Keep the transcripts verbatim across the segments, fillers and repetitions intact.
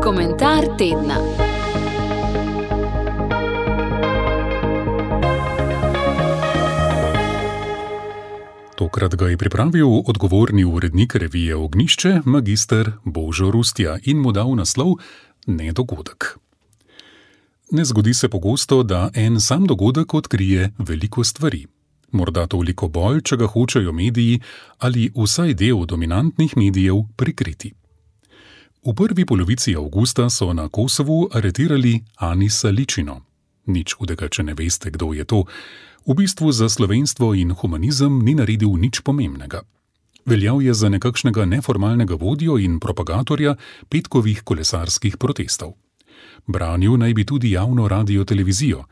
Komentar tedna. Tokrat ga je pripravil odgovorni urednik revije Ognjišče, magister Božo Rustja, in mu dal naslov Nedogodek. Ne zgodi se pogosto, da en sam dogodek odkrije veliko stvari. Morda toliko bolj, če ga hočejo mediji ali vsaj del dominantnih medijev prikriti. V prvi polovici avgusta so na Kosovu aretirali Anisa Ličino. Nič hudega, če ne veste, kdo je to. V bistvu za slovenstvo in humanizem ni naredil nič pomembnega. Veljal je za nekakšnega neformalnega vodjo in propagatorja petkovih kolesarskih protestov. Branil naj bi tudi javno radio-televizijo,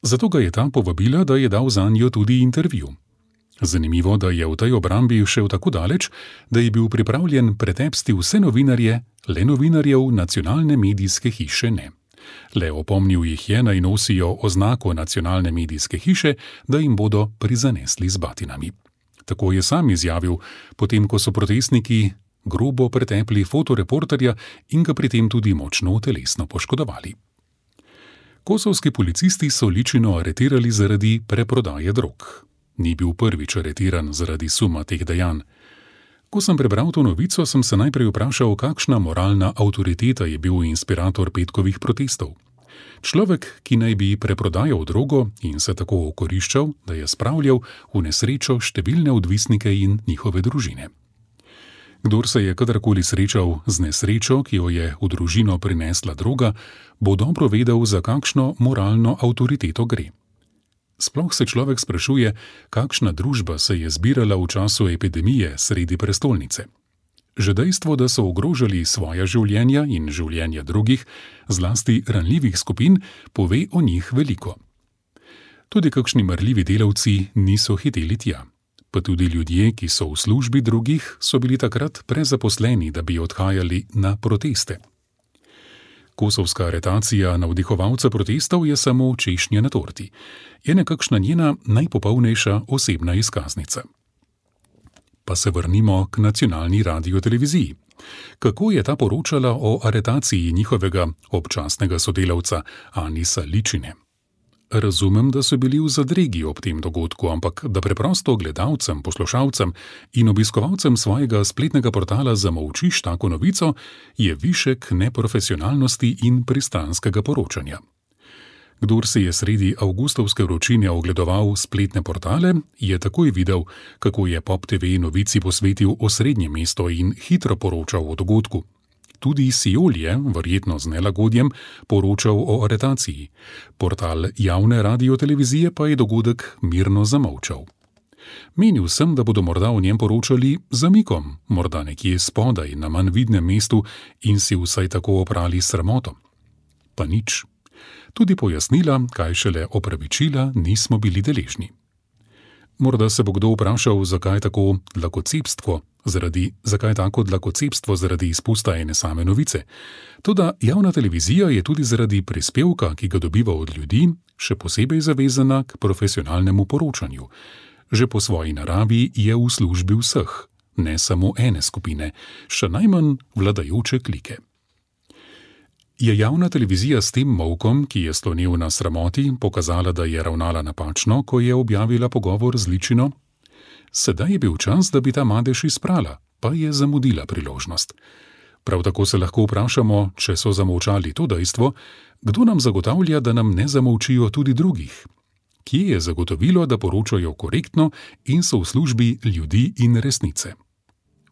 zato ga je ta povabila, da je dal zanjo tudi intervju. Zanimivo, da je v tej obrambi šel tako daleč, da je bil pripravljen pretepsti vse novinarje, le novinarjev nacionalne medijske hiše ne. Le opomnil jih je, naj nosijo oznako nacionalne medijske hiše, da jim bodo prizanesli z batinami. Tako je sam izjavil, potem ko so protestniki grobo pretepli fotoreporterja in ga pri tem tudi močno telesno poškodovali. Kosovski policisti so Ličino aretirali zaradi preprodaje drog. Ni bil prvič aretiran zaradi suma teh dejanj. Ko sem prebral to novico, sem se najprej vprašal, kakšna moralna avtoriteta je bil inspirator petkovih protestov. Človek, ki naj bi preprodajal drogo in se tako okoriščal, da je spravljal v nesrečo številne odvisnike in njihove družine. Kdor se je kadarkoli srečal z nesrečo, ki jo je v družino prinesla droga, bo dobro vedel, za kakšno moralno avtoriteto gre. Sploh se človek sprašuje, kakšna družba se je zbirala v času epidemije sredi prestolnice. Že dejstvo, da so ogrožali svoja življenja in življenja drugih, zlasti ranljivih skupin, pove o njih veliko. Tudi kakšni marljivi delavci niso hiteli tja. Pa tudi ljudje, ki so v službi drugih, so bili takrat prezaposleni, da bi odhajali na proteste. Kosovska aretacija navdihovalca protestov je samo češnja na torti. Je nekakšna njena najpopolnejša osebna izkaznica. Pa se vrnimo k nacionalni radio-televiziji. Kako je ta poročala o aretaciji njihovega občasnega sodelavca Anisa Ličine? Razumem, da so bili v zadregi ob tem dogodku, ampak da preprosto gledalcem, poslušalcem in obiskovalcem svojega spletnega portala zamolčiš tako novico, je višek neprofesionalnosti in pristranskega poročanja. Kdor se je sredi avgustovske vročine ogledoval spletne portale, je takoj videl, kako je Pop te ve novici posvetil osrednje mesto in hitro poročal o dogodku. Tudi Siol je, verjetno z nelagodjem, poročal o aretaciji. Portal javne radio-televizije pa je dogodek mirno zamolčal. Menil sem, da bodo morda o njem poročali zamikom, morda nekje spodaj na manj vidnem mestu in si vsaj tako oprali sramoto. Pa nič. Tudi pojasnila, kaj šele opravičila, nismo bili deležni. Morda se bo kdo vprašal, zakaj tako dlakocepstvo, zaradi, zakaj tako dlakocepstvo zaradi izpusta ene same novice. Toda javna televizija je tudi zaradi prispevka, ki ga dobiva od ljudi, še posebej zavezana k profesionalnemu poročanju. Že po svoji naravi je v službi vseh, ne samo ene skupine, še najmanj vladajoče klike. Je javna televizija s tem molkom, ki je slonil na sramoti, pokazala, da je ravnala napačno, ko je objavila pogovor z Ličino? Sedaj je bil čas, da bi ta madež izprala, pa je zamudila priložnost. Prav tako se lahko vprašamo, če so zamolčali to dejstvo, kdo nam zagotavlja, da nam ne zamolčijo tudi drugih? Kje je zagotovilo, da poročajo korektno in so v službi ljudi in resnice?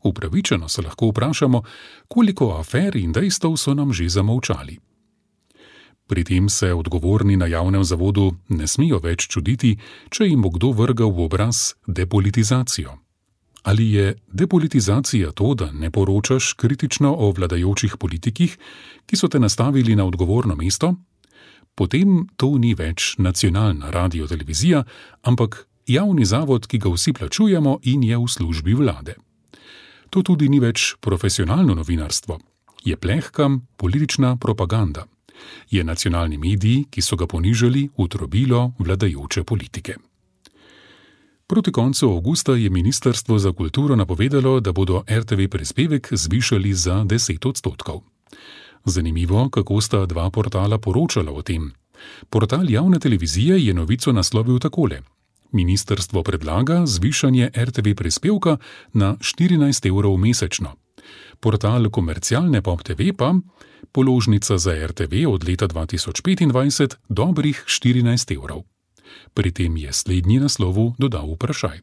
Upravičeno se lahko vprašamo, koliko afer in dejstev so nam že zamolčali. Pri tem se odgovorni na javnem zavodu ne smijo več čuditi, če jim bo kdo vrgal v obraz depolitizacijo. Ali je depolitizacija to, da ne poročaš kritično o vladajočih politikih, ki so te nastavili na odgovorno mesto? Potem to ni več nacionalna radio-televizija, ampak javni zavod, ki ga vsi plačujemo in je v službi vlade. To tudi ni več profesionalno novinarstvo. Je plehka politična propaganda. Je nacionalni medij, ki so ga ponižali v trobilo vladajoče politike. Proti koncu avgusta je Ministrstvo za kulturo napovedalo, da bodo er te ve prispevek zvišali za deset odstotkov. Zanimivo, kako sta dva portala poročala o tem. Portal javne televizije je novico naslovil takole: Ministrstvo predlaga zvišanje er te ve prispevka na štirinajst evrov mesečno. Portal komercialne Pop te ve pa položnica za er te ve od leta dva tisoč petindvajset dobrih štirinajst evrov. Pri tem je slednji naslovu dodal vprašaj.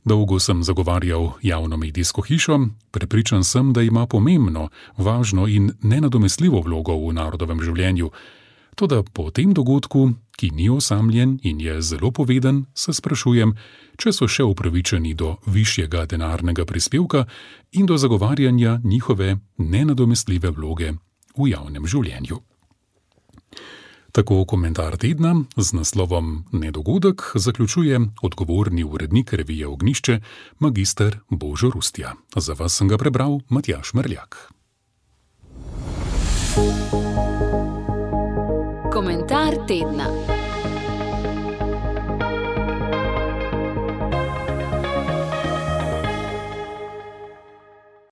Dolgo sem zagovarjal javno medijsko hišo, prepričan sem, da ima pomembno, važno in nenadomestljivo vlogo v narodovem življenju. Toda po tem dogodku, ki ni osamljen in je zelo poveden, se sprašujem, če so še upravičeni do višjega denarnega prispevka in do zagovarjanja njihove nenadomestljive vloge v javnem življenju. Tako komentar tedna z naslovom Nedogodek zaključuje odgovorni urednik revije Ognjišče, magister Božo Rustja. Za vas sem ga prebral Matjaž Merljak. Komentar tedna.